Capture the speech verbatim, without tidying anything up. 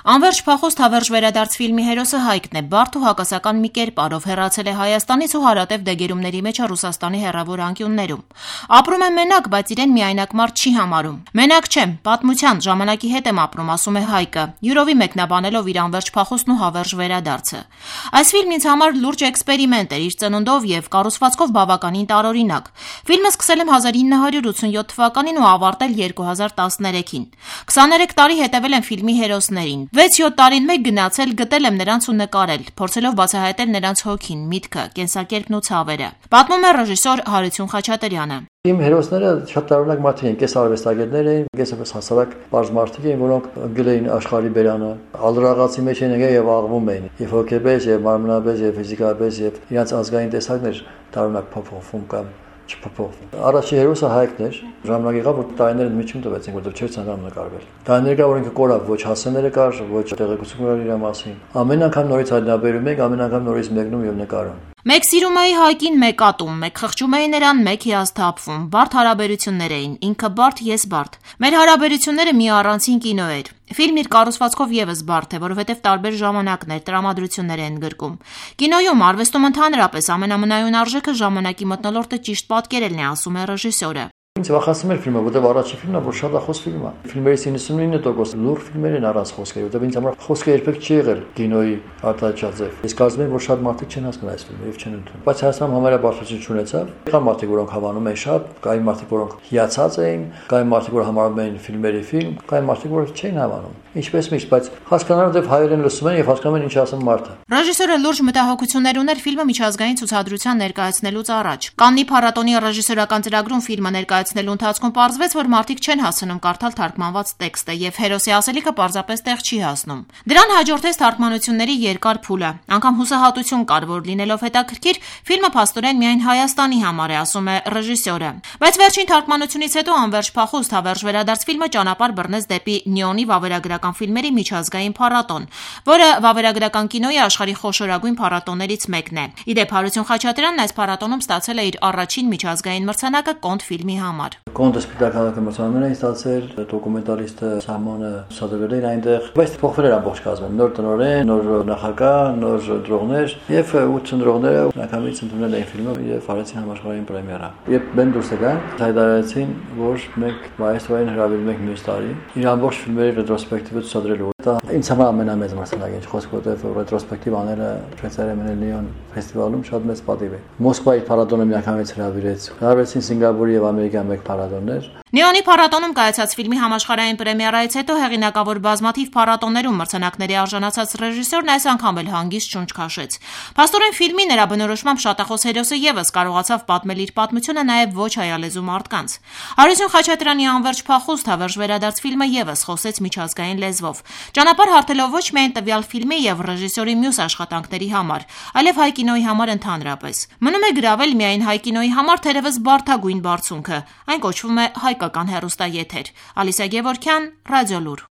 Անվերջ փախուստ հավերժ վերադարձ ֆիլմի հերոսը Հայկն է, բարդ ու հակասական մի կերպարով հեռացել է Հայաստանից ու հարատև դեգերումների մեջ է Ռուսաստանի հեռավոր անկյուններում։ Ապրում է մենակ, բայց իրեն միայնակ մարդ չի համարում։ Մենակ չեմ, պատմության, ժամանակի հետ եմ ապրում, ասում է Հայկը, յուրովի մեկնաբանելով իր անվերջ փախուստն ու հավերժ վերադարձը։ Այս ֆիլմն ինձ համար լուրջ էքսպերիմենտ էր իր ծնունդով եւ կառուցվածքով բավականին տարօրինակ։ Ֆիլմը սկսել եմ հազար ինը հարյուր ութսունյոթ թվականին ու ավարտել երկու հազար տասներեքին։ քսաներեք տարի հետևել եմ ֆիլմի հերոսներին։ վեց-յոթ տարին մեկ գնացել, գտել եմ նրանց ու նկարել, փորձելով բացահայտել նրանց հոգին, միտքը, կենսակերպն ու ցավերը։ Պատմում է ռեժիսոր Հարություն Խաչատրյանը։ Իմ հերոսները շատ տարօրինակ մարդիկ են, կես արվեստագետներ էին, կես հասարակ պարզ մարդիկ էին, որոնք ընկել էին աշխարհի բերանը, ալրաղացի մեջ էին եկել եւ աղվում էին, եւ հոգեպես, եւ մարմնապես, եւ ֆիզիկապես, եւ իրենց ազգային տեսակներ տարօրինակ փոփոխվում կամ չփոփոխվում։ Առաջի հերոսը Հայկն էր, ժամանակ եղավ, որ տարիները միջում տվեցին, որտեղ չէր ցանկանում նկարվել։ Տարիներ կա, որ ինքը կորավ, ոչ հասցեները կար, ոչ տեղեկություն կար իր մասին։ Ամեն անգամ նորից հայտնաբերում ենք, ամեն անգամ նորից մեկնում եւ նկարում։ Մեկ սիրում էի Հայկին, մեկ ատում, մեկ խղճում էի նրան, մեկ հիասթափվում։ Բարդ հարաբերություններ էին, ինքը բարդ, ես բարդ։ Մեր հարաբերությունները մի առանցին կինո էր։ Ֆիլմն իր կառուցվածքով եւս բարդ է, որովհետեւ տարբեր ժամանակներ, տրամադրություններ են գրկում։ Կինոյում, արվեստում ընդհանրապես ամենամնայուն արժեքը ժամանակի մթնոլորտը ճիշտ պատկերելն է, ասում է ռեժիսորը։ Ինձ վախեցնում էր ֆիլմը, որտեղ առաջի ֆիլմն է, որ շատ ախոս ֆիլմ է։ Ֆիլմերից իննսունինը տոկոս լուրջ ֆիլմեր են առանց խոսքերի, որտեղ ինձ համար խոսքը երբեք չի եղել կինոյի արտադրյալ։ Ես կարծում եմ, որ շատ մարդիկ չեն հասկանում այս ֆիլմը եւ չեն ընդունում։ Բայց Հայաստանում համարյա բարդություն չունեցավ։ Կան մարդիկ, որոնք հավանում են շատ, կային մարդիկ, որոնք հիացած էին, կային մարդիկ, որ համարում էին ֆիլմերի ֆիլմ, կային մարդիկ, որ չէին հավանում։ Ինչպես միշտ, բայց հասկանալով դեպ հայերեն լսում են եւ հասկանում են ինչ ասում մարդը։ Ռեժիսորը լուրջ մտահոգություններ ուներ ֆիլմը միջազգային ցուցադրության ներկայացնելուց առաջ։ Կաննի փառատոնի ռեժիսորական ծրագրում ֆիլմը ներկայացնելու ընթացքում պարզվեց, որ մարդիկ չեն հասցնում կարդալ թարգմանված տեքստը եւ հերոսի ասելիքը պարզապես տեղ չի հասնում։ Դրան հաջորդեց թարգմանությունների երկար փուլը։ Անկամ հուսահատություն կար, որ լինելով հետաքրքիր, ֆիլմը փաստորեն միայն Հայաստանի համար է, ասում է ռեժիսորը։ Բայց վերջին թարգմանությունից հետո անվերջ փախուստ հավերժ վերադարձ ֆիլմը ճանապարհ բռնեց դեպի Նյոնի վավերագրական ֆիլմերի միջազգային փառատոն, որը վավերագրական կինոյի աշխարհի խոշորագույն փառատոներից մեկն է։ Իդեպ Հարություն Խաչատրյանն այս փառատոնում ստացել է իր առաջին միջազգային մրցանակը Կոնտ ֆիլմի համար։ Կոնտը սպիտակահարակը մրցանակներ էին ստացել, դոկումենտալիստը Սամոնը ցուցադրել էր այնտեղ, բայց փոխվել էր ամբողջ կազմը, նոր տնօրեն, նոր նախագահ, նոր դրողներ եւ ութ ծնողները նակամից ընդունել էին ֆիլմը եւ արեցին համաշխարհային պրեմիերա։ Երբ բեմ դուրս եկան, հայտարարեցին, որ մենք մայիսային հրավիրում ենք մյուս տարի իր ամբողջ ֆիլմերի ռետրոսպեկտիվը ցուցադրելու։ Դա ինձ համար ամենամեծ մրցանակն է, խոսք որտեղ ռետրոսպեկտիվ անելը Շվեյցարիայի Լիոն ֆեստիվալում շատ մեծ պատիվ է։ Մոսկվայի փառատոնը միանգամից հրավիրեց։ Հրավիրեցին Սինգապուրի եւ Ամերիկայի մեկ փառատոններ։ Նյոնի փառատոնում կայացած ֆիլմի համաշխարհային պրեմիերայից հետո հեղինակավոր բազմաթիվ փառատոներում մրցանակների արժանացած ռեժիսորն այս անգամ էլ հանգիստ շունչ քաշեց։ Փաստորեն ֆիլմի նրա բնորոշմամբ շատախոս հերոսը եւս կարողացավ պատմել իր պատմությունը նաեւ ոչ հայալեզու մարդկանց։ Հարություն Խաչատրյանի անվերջ փախուստ հավերժ վերադարձ ֆիլմը եւս խոսեց միջազգային լեզվով։ Ճանապարհ հարթելով ոչ միայն տվյալ ֆիլմի եւ ռեժիսորի մյուս աշխատանքների համար, այլև հայ կինոյի համար ընդհանրապես։ Մնում է գրավել միայն հայ կինոյի համար թերևս բարդագույն բարձունքը։ Այն կոչվում է հայկական հեռուստաեթեր։ Ալիսա Գևորգյան, Ռադիոլուր։